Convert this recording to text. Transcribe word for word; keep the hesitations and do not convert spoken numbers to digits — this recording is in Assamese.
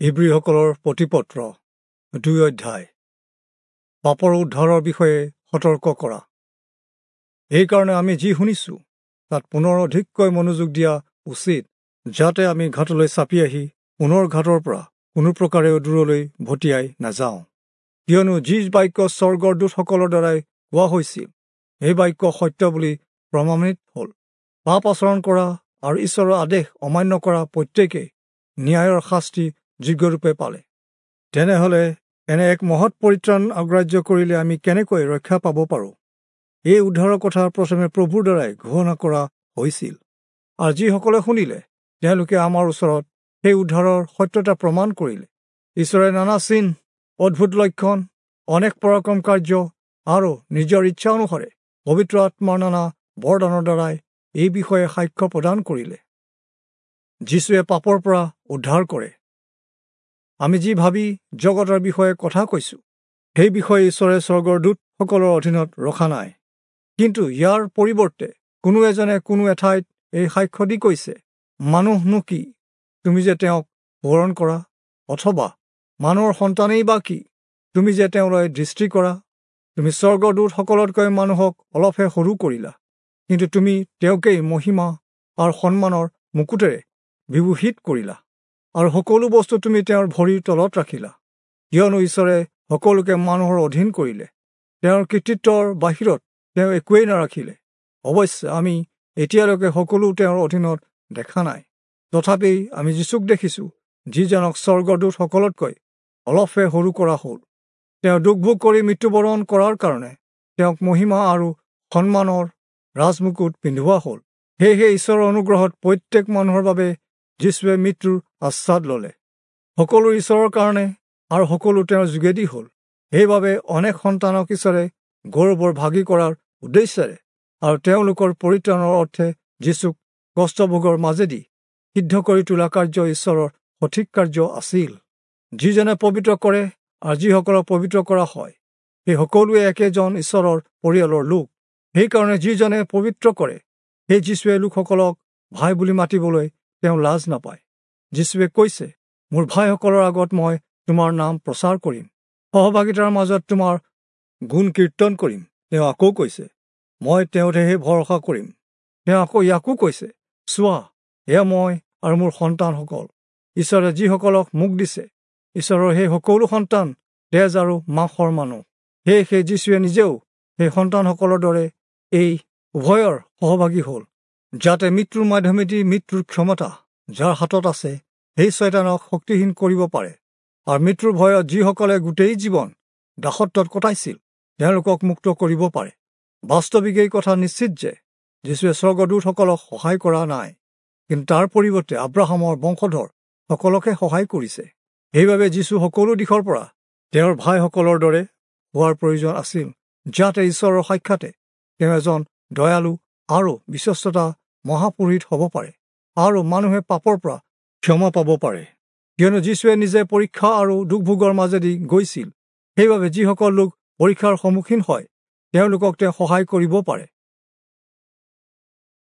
ইব্ৰীসকলৰ প্ৰতিপত্ৰ দুই অধ্যায় পাপৰ উদ্ধাৰৰ বিষয়ে সতৰ্ক কৰা। এইকাৰণে আমি যি শুনিছোঁ তাত পুনৰ অধিককৈ মনোযোগ দিয়া উচিত, যাতে আমি ঘাটলৈ চাপি আহি পুনৰ ঘাটৰ পৰা কোনো প্ৰকাৰেও দূৰলৈ ভটিয়াই নাযাওঁ। কিয়নো যি বাক্য স্বৰ্গৰ দূতসকলৰ দ্বাৰাই কোৱা হৈছিল, সেই বাক্য সত্য বুলি প্ৰমাণিত হ'ল। পাপ আচৰণ কৰা আৰু ঈশ্বৰৰ আদেশ অমান্য কৰা প্ৰত্যেকেই ন্যায়ৰ শাস্তি যোগ্যৰূপে পালে। তেনেহ'লে এনে এক মহৎ পৰিত্ৰাণ অগ্ৰাহ্য কৰিলে আমি কেনেকৈ ৰক্ষা পাব পাৰোঁ? এই উদ্ধাৰৰ কথা প্ৰথমে প্ৰভুৰ দ্বাৰাই ঘোষণা কৰা হৈছিল, আৰু যিসকলে শুনিলে তেওঁলোকে আমাৰ ওচৰত সেই উদ্ধাৰৰ সত্যতা প্ৰমাণ কৰিলে। ঈশ্বৰে নানা চিন, অদ্ভুত লক্ষণ, অনেক পৰাক্ৰম কাৰ্য আৰু নিজৰ ইচ্ছা অনুসাৰে পবিত্ৰ আত্মাৰ নানা বৰদানৰ দ্বাৰাই এই বিষয়ে সাক্ষ্য প্ৰদান কৰিলে। যীশুৱে পাপৰ পৰা উদ্ধাৰ কৰে। আমি যি ভাবি জগতৰ বিষয়ে কথা কৈছোঁ, সেই বিষয়ে ঈশ্বৰে স্বৰ্গৰ দূতসকলৰ অধীনত ৰখা নাই। কিন্তু ইয়াৰ পৰিৱৰ্তে কোনো এজনে কোনো এঠাইত এই সাক্ষ্য দি কৈছে, মানুহনো কি, তুমি যে তেওঁক সোঁৱৰণ কৰা, অথবা মানুহৰ সন্তানেই বা কি, তুমি যে তেওঁলৈ দৃষ্টি কৰা। তুমি স্বৰ্গদূতসকলতকৈ মানুহক অলপহে সৰু কৰিলা, কিন্তু তুমি তেওঁকেই মহিমা আৰু সন্মানৰ মুকুটেৰে বিভূষিত কৰিলা, আৰু সকলো বস্তু তুমি তেওঁৰ ভৰিৰ তলত ৰাখিলা। কিয়নো ঈশ্বৰে সকলোকে মানুহৰ অধীন কৰিলে, তেওঁৰ কৃতিত্বৰ বাহিৰত তেওঁ একোৱেই নাৰাখিলে। অৱশ্যে আমি এতিয়ালৈকে সকলো তেওঁৰ অধীনত দেখা নাই, তথাপি আমি যীচুক দেখিছোঁ, যিজনক স্বৰ্গদূতসকলতকৈ অলপহে সৰু কৰা হ'ল। তেওঁ দুখ ভোগ কৰি মৃত্যুবৰণ কৰাৰ কাৰণে তেওঁক মহিমা আৰু সন্মানৰ ৰাজমুকুট পিন্ধোৱা হ'ল। সেয়েহে ঈশ্বৰৰ অনুগ্ৰহত প্ৰত্যেক মানুহৰ বাবে যীচুৱে মৃত্যুৰ আস্বাদ ল'লে। সকলো ঈশ্বৰৰ কাৰণে আৰু সকলো তেওঁৰ যোগেদি হ'ল। সেইবাবে অনেক সন্তানক ঈশ্বৰে গৌৰৱৰ ভাগী কৰাৰ উদ্দেশ্যেৰে আৰু তেওঁলোকৰ পৰিত্ৰাণৰ অৰ্থে যীচুক কষ্টভোগৰ মাজেদি সিদ্ধ কৰি তোলা কাৰ্য ঈশ্বৰৰ সঠিক কাৰ্য আছিল। যিজনে পবিত্ৰ কৰে আৰু যিসকলক পবিত্ৰ কৰা হয়, সেই সকলোৱে একেজন ঈশ্বৰৰ পৰিয়ালৰ লোক। সেইকাৰণে যিজনে পবিত্ৰ কৰে, সেই যীচুৱে লোকসকলক ভাই বুলি মাতিবলৈ তেওঁ লাজ নাপায়। যীচুৱে কৈছে, মোৰ ভাইসকলৰ আগত মই তোমাৰ নাম প্ৰচাৰ কৰিম, সহভাগিতাৰ মাজত তোমাৰ গুণ কীৰ্তন কৰিম। তেওঁ আকৌ কৈছে, মই তেওঁতহে ভৰসা কৰিম। তেওঁ আকৌ ইয়াকো কৈছে, চোৱা, এয়া মই আৰু মোৰ সন্তানসকল, ঈশ্বৰে যিসকলক মোক দিছে, ঈশ্বৰৰ সেই সকলো সন্তান তেজ আৰু মাংসৰ মানুহ। সেয়ে সেই যীচুৱে নিজেও সেই সন্তানসকলৰ দৰে এই উভয়ৰ সহভাগী হ'ল, যাতে মৃত্যুৰ মাধ্যমেদি মৃত্যুৰ ক্ষমতা যাৰ হাতত আছে, সেই ছয়তানক শক্তিহীন কৰিব পাৰে, আৰু মৃত্যুৰ ভয়ত যিসকলে গোটেই জীৱন দাসত্বত কটাইছিল তেওঁলোকক মুক্ত কৰিব পাৰে। বাস্তৱিক এই কথা নিশ্চিত যে যীচুৱে স্বৰ্গদূতসকলক সহায় কৰা নাই, কিন্তু তাৰ পৰিৱৰ্তে আব্ৰাহামৰ বংশধৰ সকলকহে সহায় কৰিছে। সেইবাবে যীচু সকলো দিশৰ পৰা তেওঁৰ ভাইসকলৰ দৰে হোৱাৰ প্ৰয়োজন আছিল, যাতে ঈশ্বৰৰ সাক্ষাতে তেওঁ এজন দয়ালু আৰু বিশ্বস্ততা মহাপুৰোহিত হ'ব পাৰে আৰু মানুহে পাপৰ পৰা ক্ষমা পাব পাৰে। কিয়নো যীচুৱে নিজে পৰীক্ষা আৰু দুখভোগৰ মাজেদি গৈছিল, সেইবাবে যিসকল লোক পৰীক্ষাৰ সন্মুখীন হয় তেওঁলোকক তেওঁ সহায় কৰিব পাৰে।